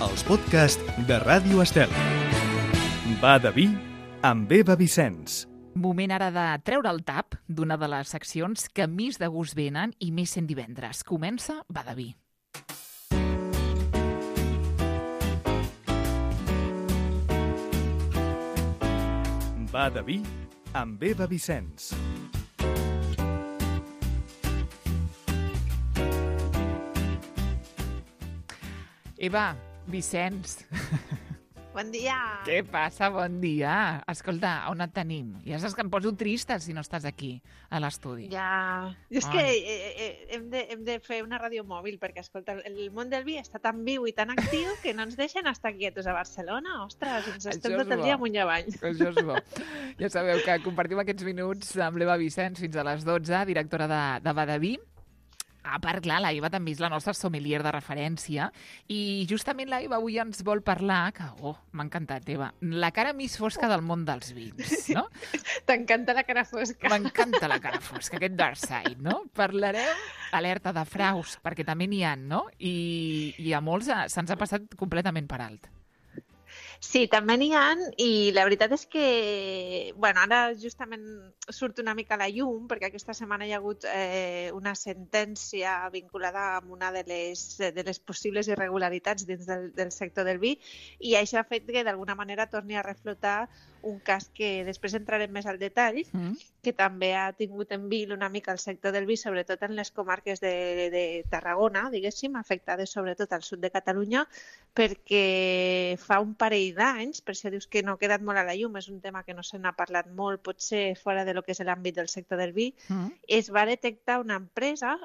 els podcasts de Ràdio Estel. Va de vi amb Eva Vicenç. Moment ara de treure el tap d'una de les seccions que més de gust venen i més sent divendres. Comença Va de vi. Va de vi amb Eva Vicenç. Eva, Vicenç. Bon dia! Què passa? Bon dia. Escolta, on et tenim? Ja saps que em poso trista si no estàs aquí, a l'estudi. Ja... És que hem de fer una ràdio mòbil, perquè, escolta, el món del vi està tan viu i tan actiu que no ens deixen estar quietos a Barcelona. Ostres, ens estem tot el dia amunt i avall. Això és bo. Ja sabeu que compartim aquests minuts amb l'Eva Vicenç fins a les 12, directora de Va de vi. A part, clar, la Eva també és la nostra sommelier de referència i justament la Eva avui ens vol parlar, que, m'ha encantat, Eva, la cara més fosca del món dels vins, no? T'encanta la cara fosca. M'encanta la cara fosca, aquest dark side, no? Parlarem, alerta de fraus, perquè també n'hi ha, no? I a molts se'ns ha passat completament per alt. Sí, també n'hi ha, i la veritat és que, bueno, ara justament surt una mica a la llum, perquè aquesta setmana hi ha hagut una sentència vinculada amb una de les possibles irregularitats dins del sector del vi, i això ha fet que d'alguna manera torni a reflotar un cas que després entrarem més al detall, que també ha tingut en vil una mica el sector del vi, sobretot en les comarques de Tarragona, diguéssim, afectades sobretot al sud de Catalunya, perquè fa un parell d'anys, per això dius que no ha quedat molt a la llum, és un tema que no se n'ha parlat molt, potser fora de lo que és l'àmbit del sector del vi, es va detectar una empresa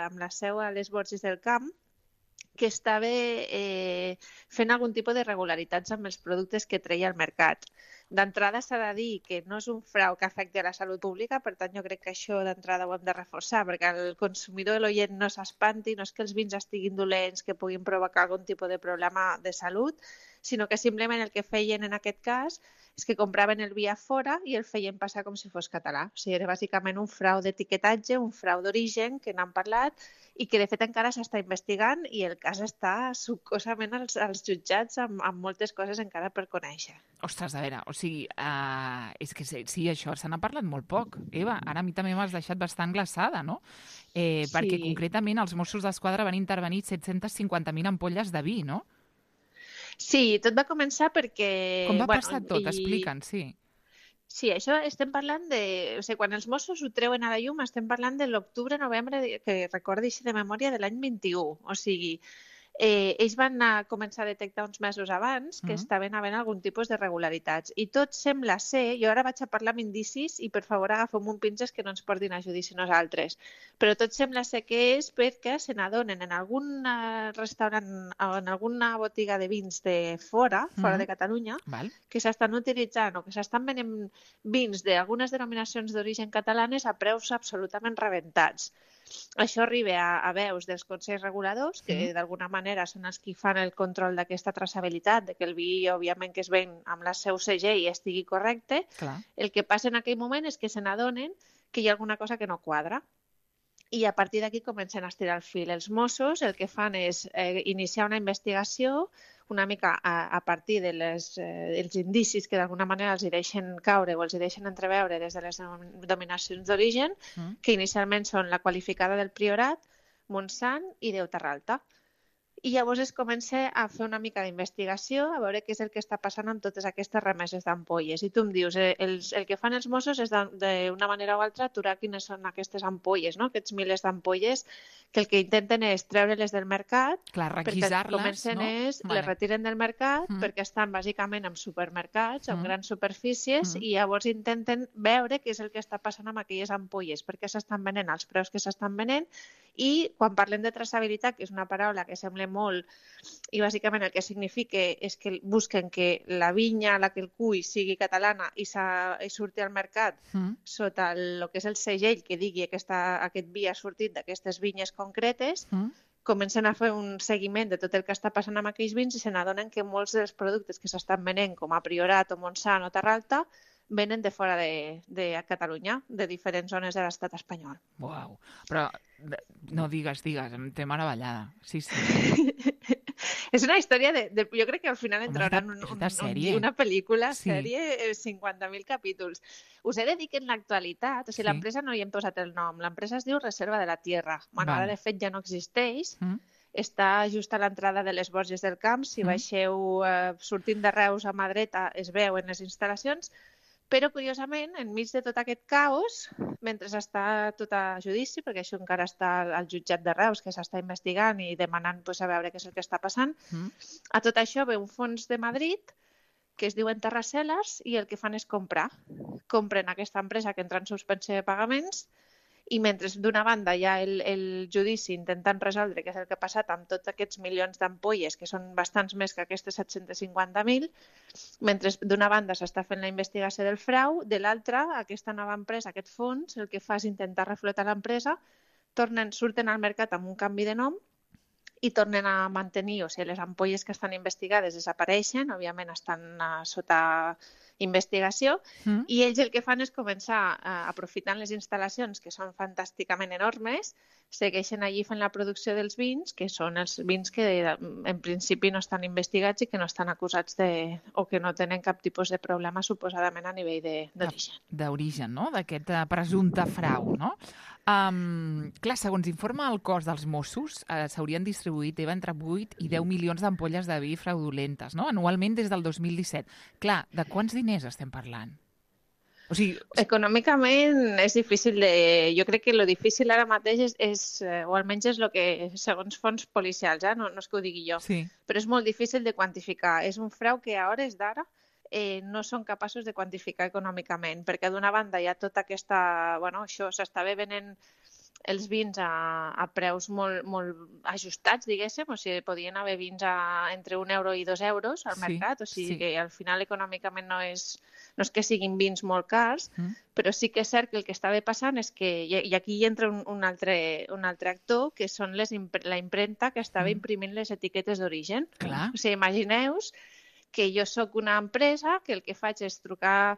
amb la seu a les Borges del Camp que estava fent algun tipus d'irregularitats amb els productes que treia al mercat. D'entrada s'ha de dir que no és un frau que afecti a la salut pública, per tant jo crec que això d'entrada ho hem de reforçar, perquè el consumidor, l'oient, no s'espanti, no és que els vins estiguin dolents, que puguin provocar algun tipus de problema de salut, sinó que simplement el que feien en aquest cas és que compraven el vi a fora i el feien passar com si fos català. O sigui, era bàsicament un frau d'etiquetatge, un frau d'origen, que n'han parlat, i que de fet encara s'està investigant i el cas està succosament als jutjats amb moltes coses encara per conèixer. Ostres, a veure, o sigui, és que sí, això se n'ha parlat molt poc. Eva, ara a mi també m'has deixat bastant glaçada, no? Perquè concretament els Mossos d'Esquadra van intervenir 750.000 ampolles de vi, no? Sí, tot va començar perquè... Com va passar tot? Explica'ns, sí. Sí, això estem parlant de... O sigui, quan els Mossos ho treuen a la llum estem parlant de l'octubre-novembre, que recordi així de memòria, de l'any 21. O sigui, ells van començar a detectar uns mesos abans que estaven havent algun tipus de regularitats. I tot sembla ser... Jo ara vaig a parlar amb indicis i, per favor, agafem un pinces que no ens portin a judici nosaltres. Però tot sembla ser que és perquè se n'adonen en algun restaurant o en alguna botiga de vins de fora de Catalunya, que s'estan utilitzant o que s'estan venent vins d'algunes denominacions d'origen catalanes a preus absolutament rebentats. Això arriba a veus dels consells reguladors, que d'alguna manera són els que fan el control d'aquesta traçabilitat, de que el vi, òbviament, que es ven amb la seu segell estigui correcte. Clar. El que passa en aquell moment és que se n'adonen que hi ha alguna cosa que no quadra. I a partir d'aquí comencen a estirar el fil. Els Mossos el que fan és iniciar una investigació una mica a partir dels indicis que d'alguna manera els hi deixen caure o els hi deixen entreveure des de les denominacions d'origen, que inicialment són la qualificada del Priorat, Montsant i Déu-Terralta. I llavors es comença a fer una mica d'investigació, a veure què és el que està passant amb totes aquestes remeses d'ampolles. I tu em dius, el que fan els Mossos és d'una manera o altra aturar quines són aquestes ampolles, no? Aquests milers d'ampolles, que el que intenten és treure-les del mercat, clar, requisar-les, no? Les retiren del mercat perquè estan bàsicament en supermercats, en grans superfícies, i llavors intenten veure què és el que està passant amb aquelles ampolles, perquè s'estan venent als preus que s'estan venent, i quan parlem de traçabilitat, que és una paraula que sembla molt, i bàsicament el que significa és que busquen que la vinya a la que el cull sigui catalana i surti al mercat sota el que és el segell que digui que aquest vi ha sortit d'aquestes vinyes concretes, comencen a fer un seguiment de tot el que està passant amb aquells vins i se n'adonen que molts dels productes que s'estan venent, com a Priorat o Montsant o Terralta, venen de fora de Catalunya, de diferents zones de l'estat espanyol. Uau, però no digues, em té meravellada. Sí. És una història jo crec que al final entraran una pel·lícula, sèrie, 50.000 capítols. Us he de dir que en l'actualitat, o sigui, l'empresa no hi hem posat el nom, l'empresa es diu Reserva de la Tierra. Bueno, ara de fet ja no existeix, està just a l'entrada de les Borges del Camp, si baixeu sortint de Reus a mà dreta es veuen les instal·lacions, però, curiosament, enmig de tot aquest caos, mentre està tot a judici, perquè això encara està al jutjat de Reus, que s'està investigant i demanant a veure què és el que està passant, a tot això ve un fons de Madrid que es diuen Terracelles i el que fan és comprar. Compren aquesta empresa que entra en suspensió de pagaments i mentre d'una banda hi ha el judici intentant resoldre què és el que ha passat amb tots aquests milions d'ampolles, que són bastants més que aquestes 750.000, mentre d'una banda s'està fent la investigació del frau, de l'altra, aquesta nova empresa, aquest fons, el que fa és intentar reflotar l'empresa, surten al mercat amb un canvi de nom i tornen a mantenir, o sigui, les ampolles que estan investigades desapareixen, òbviament estan sota investigació, i ells el que fan és començar, aprofitant les instal·lacions, que són fantàsticament enormes, segueixen allí fent la producció dels vins, que són els vins que en principi no estan investigats i que no estan acusats o que no tenen cap tipus de problema suposadament a nivell d'origen. D'origen, no? D'aquest presumpte frau, no? Clar, segons informa el cos dels Mossos, s'haurien distribuït entre 8 i 10 milions d'ampolles de vi fraudulentes, no? Anualment des del 2017. Clar, de quants diners estem parlant? O sigui... Econòmicament és difícil de... Jo crec que el difícil ara mateix és o almenys és el que, segons fonts policials, no és que ho digui jo, però és molt difícil de quantificar. És un frau que a hores d'ara no són capaços de quantificar econòmicament, perquè d'una banda hi ha tota aquesta... Bueno, això s'estava venent els vins a preus molt ajustats, diguéssim, o sigui, podien haver vins entre 1 euro i 2 euros al mercat, o sigui que al final econòmicament no és que siguin vins molt cars, però sí que és cert que el que estava passant és que, i aquí hi entra un altre actor, que són la impremta que estava imprimint les etiquetes d'origen. O sigui, imagineu-vos que jo sóc una empresa que el que faig és trucar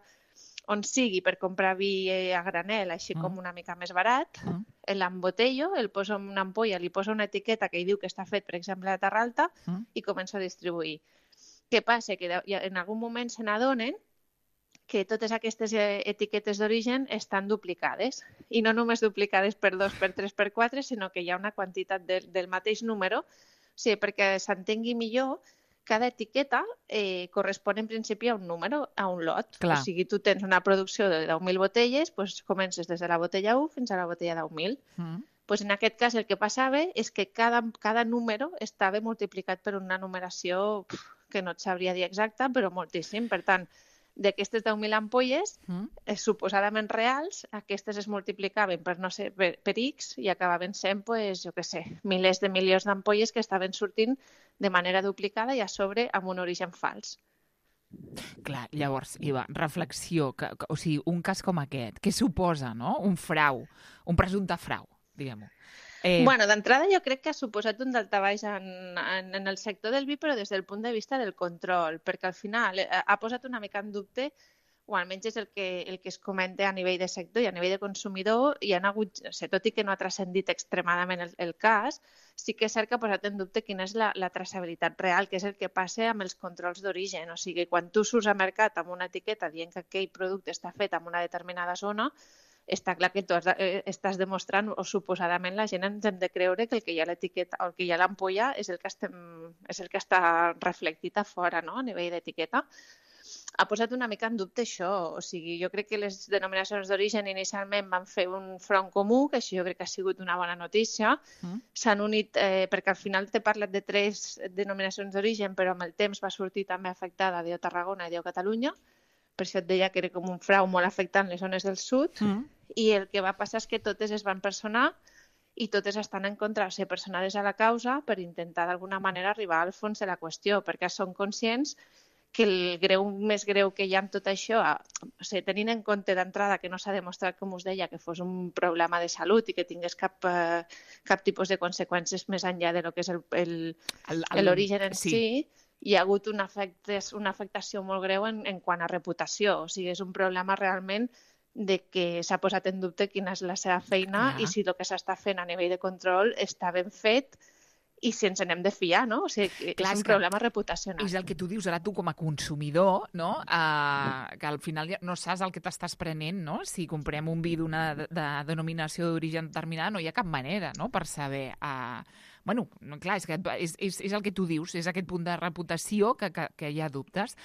on sigui per comprar vi a granel, així com una mica més barat, l'embotello, el poso en una ampolla, li poso una etiqueta que hi diu que està fet, per exemple, a Terra Alta, i començo a distribuir. Què passa? Que en algun moment se n'adonen que totes aquestes etiquetes d'origen estan duplicades. I no només duplicades per 2, per 3, per 4, sinó que hi ha una quantitat del mateix número. O sigui, perquè s'entengui millor, cada etiqueta correspon en principi a un número, a un lot. O sigui, tu tens una producció de 10.000 botelles, doncs comences des de la botella 1 fins a la botella 10.000. En aquest cas el que passava és que cada número estava multiplicat per una numeració que no et sabria dir exacta, però moltíssim. Per tant, d'aquestes 10.000 ampolles, suposadament reals, aquestes es multiplicaven per, no sé, per X i acabaven sent, jo què sé, milers de milions d'ampolles que estaven sortint de manera duplicada i a sobre amb un origen fals. Clar, llavors, Iva, reflexió, o sigui, un cas com aquest, què suposa, no? Un frau, un presumpte frau, diguem-ho. Bueno, d'entrada jo crec que ha suposat un daltabaix en el sector del vi, però des del punt de vista del control, perquè al final ha posat una mica en dubte, o almenys és el que es comenta a nivell de sector i a nivell de consumidor, i han hagut, tot i que no ha transcendit extremadament el cas, sí que és cert que ha posat en dubte quina és la traçabilitat real, que és el que passa amb els controls d'origen. O sigui, quan tu surts al mercat amb una etiqueta dient que aquell producte està fet en una determinada zona, està clar que tu estàs demostrant, o suposadament la gent ens hem de creure que el que hi ha a l'etiqueta o el que hi ha a l'ampolla és el que està reflectit a fora, no? A nivell d'etiqueta. Ha posat una mica en dubte això, o sigui, jo crec que les denominacions d'origen inicialment van fer un front comú, que això jo crec que ha sigut una bona notícia. S'han unit, perquè al final t'he parlat de 3 denominacions d'origen, però amb el temps va sortir també afectada Déu Tarragona i Déu Catalunya. Per això et deia que era com un frau molt afectant les zones del sud, i el que va passar és que totes es van personar i totes estan en contra de ser personades a la causa per intentar d'alguna manera arribar al fons de la qüestió, perquè són conscients que el greu més greu que hi ha amb tot això, o sigui, tenint en compte d'entrada que no s'ha demostrat, com us deia, que fos un problema de salut i que tingués cap tipus de conseqüències més enllà de lo que és l'origen en si, hi ha hagut una afectació molt greu en quant a reputació. O sigui, és un problema realment de que s'ha posat en dubte quina és la seva feina i si el que s'està fent a nivell de control està ben fet i si ens n'hem de fiar, no? O sigui, Clar, és un problema reputacional. És el que tu dius, ara tu com a consumidor, no? Que al final ja no saps el que t'estàs prenent, no? Si comprem un vi d'una denominació d'origen determinada, no hi ha cap manera, no?, per saber... Bueno, clar, és el que tu dius, és aquest punt de reputació que hi ha dubtes.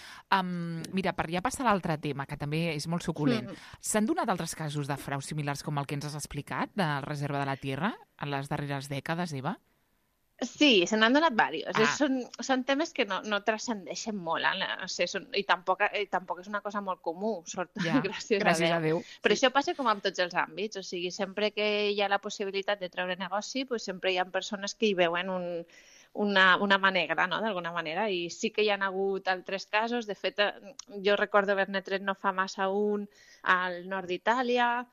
Mira, per ja passar a l'altre tema, que també és molt suculent, s'han donat altres casos de frau similars com el que ens has explicat, de Reserva de la Tierra, en les darreres dècades, Eva? Sí, se n'han donat diversos. Són temes que no transcendeixen molt, o sigui, i tampoc és una cosa molt comú, sort, gràcies a Déu. Però això passa com en tots els àmbits, o sigui, sempre que hi ha la possibilitat de treure negoci, doncs sempre hi ha persones que hi veuen una mà negra, no?, d'alguna manera, i sí que hi ha hagut altres casos. De fet, jo recordo haver-ne tret no fa massa un al nord d'Itàlia.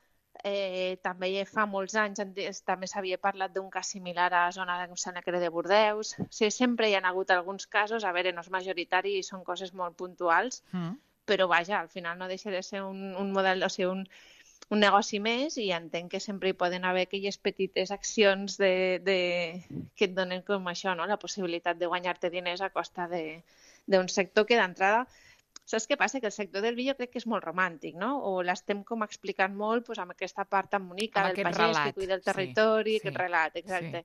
També fa molts anys també s'havia parlat d'un cas similar a la zona de Bordeus. O sigui, sempre hi ha hagut alguns casos, a veure, no és majoritari i són coses molt puntuals, però vaja, al final no deixa de ser un model, o sigui, un negoci més, i entenc que sempre hi poden haver aquelles petites accions que et donen com això, no?, la possibilitat de guanyar-te diners a costa d'un sector que d'entrada... Saps què passa? Que el sector del vi jo crec que és molt romàntic, no? O l'estem com explicant molt amb aquesta part tan bonica del pagès que cuida el territori, aquest relat, exacte.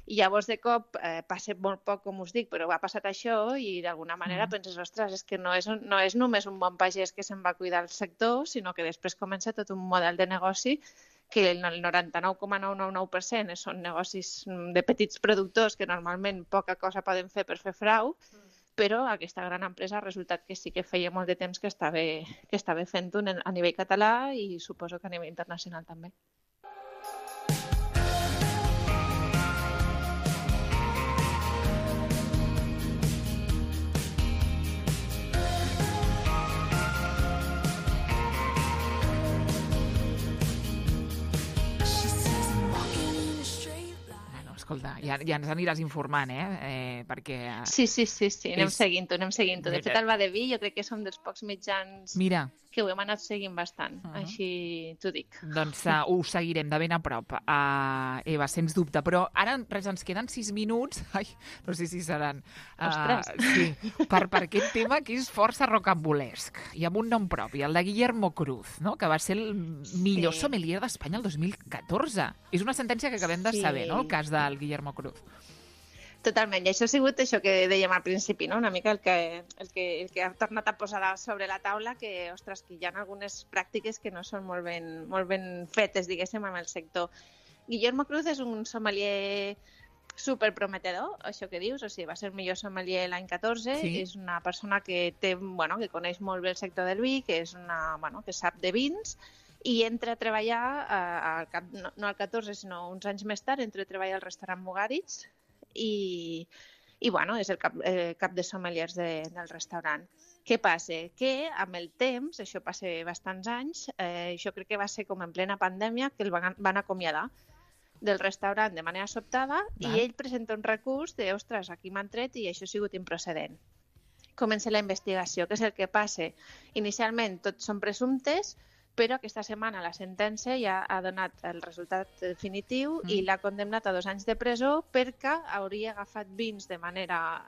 I llavors de cop passa molt poc, com us dic, però ha passat això i d'alguna manera penses, ostres, és que no és només un bon pagès que se'n va cuidar el sector, sinó que després comença tot un model de negoci que el 99,999% són negocis de petits productors que normalment poca cosa poden fer per fer frau, però aquesta gran empresa ha resultat que sí que feia molt de temps que estava fent-ho a nivell català i suposo que a nivell internacional també. Escolta, ja ens aniràs informant, perquè... Sí, anem seguint-ho. De fet, el Badeví jo crec que som dels pocs mitjans que ho hem anat seguint bastant, així t'ho dic. Doncs ho seguirem de ben a prop, Eva, sens dubte. Però ara res, ens queden 6 minuts, no sé si seran... Ostres! Sí, per aquest tema que és força rocambolesc, i amb un nom propi, el de Guillermo Cruz, no?, que va ser el millor sommelier d'Espanya el 2014. És una sentència que acabem de saber, no?, el cas del Guillermo Cruz. Totalment, i això ha sigut això que dèiem al principi, no? Una mica el que ha tornat a posar sobre la taula, que, ostres, que hi ha algunes pràctiques que no són molt ben fetes, diguéssim, en el sector. Guillermo Cruz és un sommelier superprometedor, això que dius, o sigui, va ser el millor sommelier l'any 14, és una persona que que coneix molt bé el sector del vi, que sap de vins, i entra a treballar, no al 14, sinó uns anys més tard, entra a treballar al restaurant Mugaritz, i és el cap de sommeliers del restaurant. Què passa? Que amb el temps, això passa bastants anys, jo crec que va ser com en plena pandèmia que el van acomiadar del restaurant de manera sobtada i ell presenta un recurs de, ostres, aquí m'han tret i això ha sigut improcedent. Comença la investigació. Què és el que passa? Inicialment tots són presumptes, però aquesta setmana la sentència ja ha donat el resultat definitiu i l'ha condemnat a 2 anys de presó perquè hauria agafat vins de manera...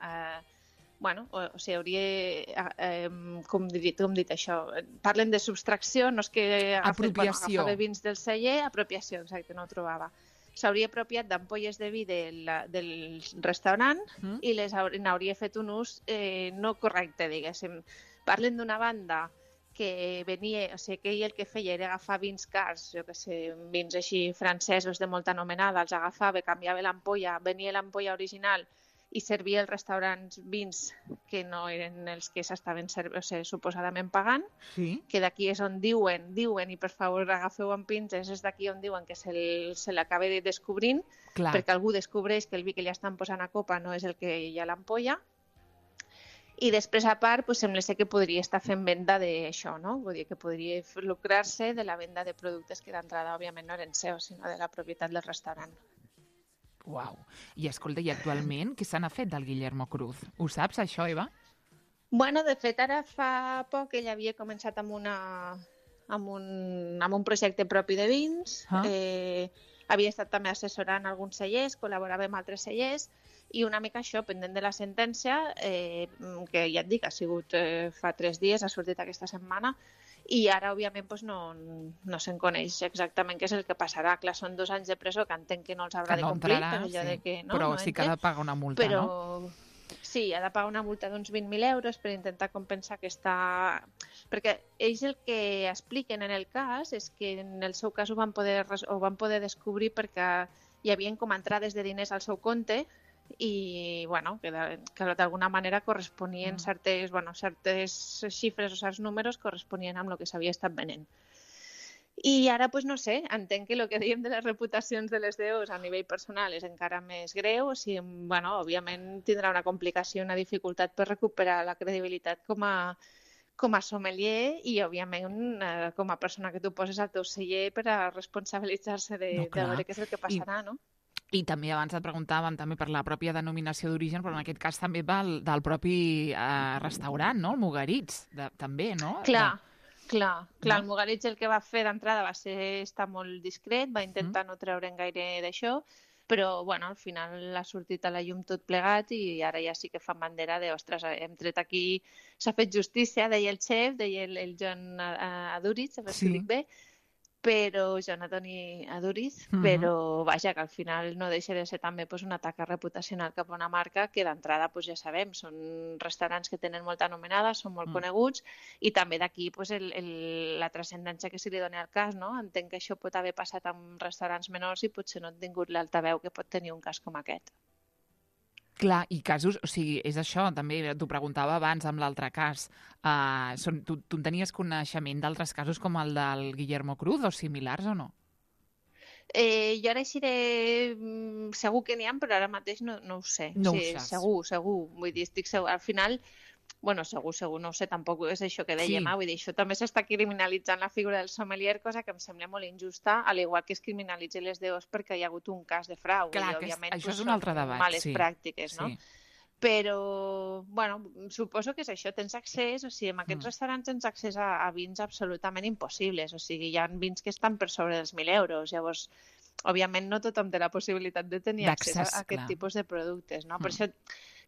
o sigui, hauria... com dit això? Parlen de subtracció, no és que... Agafava vins del celler, apropiació, exacte, no ho trobava. S'hauria apropiat d'ampolles de vi del restaurant i n'hauria fet un ús no correcte, diguéssim. Parlen d'una banda que venia, o sigui, que ell el que feia era agafar vins cars, jo que sé, vins així francesos de molta anomenada, els agafava, canviava l'ampolla, venia l'ampolla original i servia als restaurants vins que no eren els que s'estaven suposadament pagant, que d'aquí és on diuen, i per favor agafeu amb pinces, és d'aquí on diuen que se l'acaba descobrint, perquè algú descobreix que el vi que li estan posant a copa no és el que hi ha a l'ampolla. I després, a part, sembla ser que podria estar fent venda d'això, no? Vull dir que podria lucrar-se de la venda de productes que d'entrada, òbviament, no eren seus, sinó de la propietat del restaurant. Uau! I escolta, i actualment què se n'ha fet del Guillermo Cruz? Ho saps, això, Eva? Bueno, de fet, ara fa poc ell havia començat amb un projecte propi de vins, havia estat també assessorant alguns cellers, col·laborava amb altres cellers, i una mica això, pendent de la sentència, que ja et dic, ha sigut fa 3 dies, ha sortit aquesta setmana, i ara, òbviament, doncs no se'n coneix exactament què és el que passarà. Clar, són 2 anys de presó que entenc que no els haurà de complir. Però sí que ha de pagar una multa, no? Sí, ha de pagar una multa d'uns 20.000 euros per intentar compensar aquesta... Perquè ells el que expliquen en el cas és que en el seu cas ho van poder descobrir perquè hi havia com entrades de diners al seu compte i bueno, que d'alguna manera corresponien certes xifres o certs números corresponien amb el que s'havia estat venent. I ara, doncs no sé, entenc que el que dèiem de les reputacions de les DOs a nivell personal és encara més greu, o sigui, bueno, òbviament tindrà una complicació, una dificultat per recuperar la credibilitat com a sommelier i, òbviament, com a persona que tu poses al teu celler per a responsabilitzar-se de veure què és el que passarà, no? I també abans et preguntàvem també per la pròpia denominació d'origen, però en aquest cas també del propi restaurant, no? El Mugaritz, també, no? Clar, el Mugaritz el que va fer d'entrada va ser estar molt discret, va intentar no treure'n gaire d'això, però bueno, al final ha sortit a la llum tot plegat i ara ja sí que fan bandera de, ostres, hem tret aquí, s'ha fet justícia, deia el xef, deia el John Aduriz, a veure si dic bé, però John Antoni Aduriz, però vaja, que al final no deixa de ser també una taca reputacional cap a una marca que d'entrada ja sabem, són restaurants que tenen molta anomenada, són molt coneguts i també d'aquí la transcendència que se li dona al cas, no? Entenc que això pot haver passat amb restaurants menors i potser no han tingut l'altaveu que pot tenir un cas com aquest. Clar, i casos, o sigui, és això, també t'ho preguntava abans amb l'altre cas. Tu en tenies coneixement d'altres casos com el del Guillermo Cruz o similars o no? Jo ara aixiré... Segur que n'hi ha, però ara mateix no ho sé. No ho saps. Segur. Vull dir, estic segur. Al final, bueno, segur, no ho sé, tampoc és això que dèiem. Vull dir, això també s'està criminalitzant la figura del sommelier, cosa que em sembla molt injusta, al igual que es criminalitzen les DOs perquè hi ha hagut un cas de frau. Clar, això és un altre debat. Males pràctiques, no? Però, bueno, suposo que és això, tens accés, o sigui, en aquests restaurants tens accés a vins absolutament impossibles, o sigui, hi ha vins que estan per sobre dels 1.000 euros, llavors, òbviament no tothom té la possibilitat de tenir accés a aquest tipus de productes, no? Per això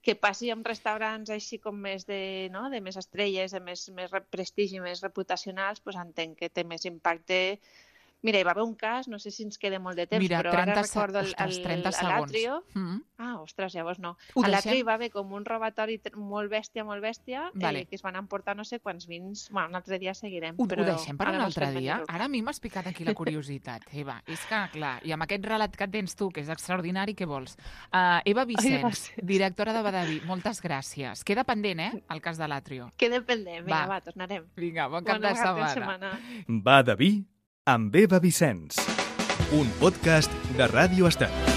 que passi amb restaurants així com més de més estrelles, de més prestigi, més reputacionals, doncs entenc que té més impacte. Mira, hi va haver un cas, no sé si ens queda molt de temps, però ara recordo l'Atrio. Ostres, llavors no. A l'Atrio hi va haver com un robatori molt bèstia, que es van emportar no sé quants vins. Bueno, un altre dia seguirem. Ho deixem per un altre dia? Ara a mi m'has picat aquí la curiositat, Eva. És que, clar, i amb aquest relat que tens tu, que és extraordinari, què vols? Eva Vicens, directora de Badaví, moltes gràcies. Queda pendent, el cas de l'Atrio. Queda pendent, vinga, va, tornarem. Vinga, bon cap de setmana. Badaví amb Eva Vicens, un podcast de Ràdio Estel.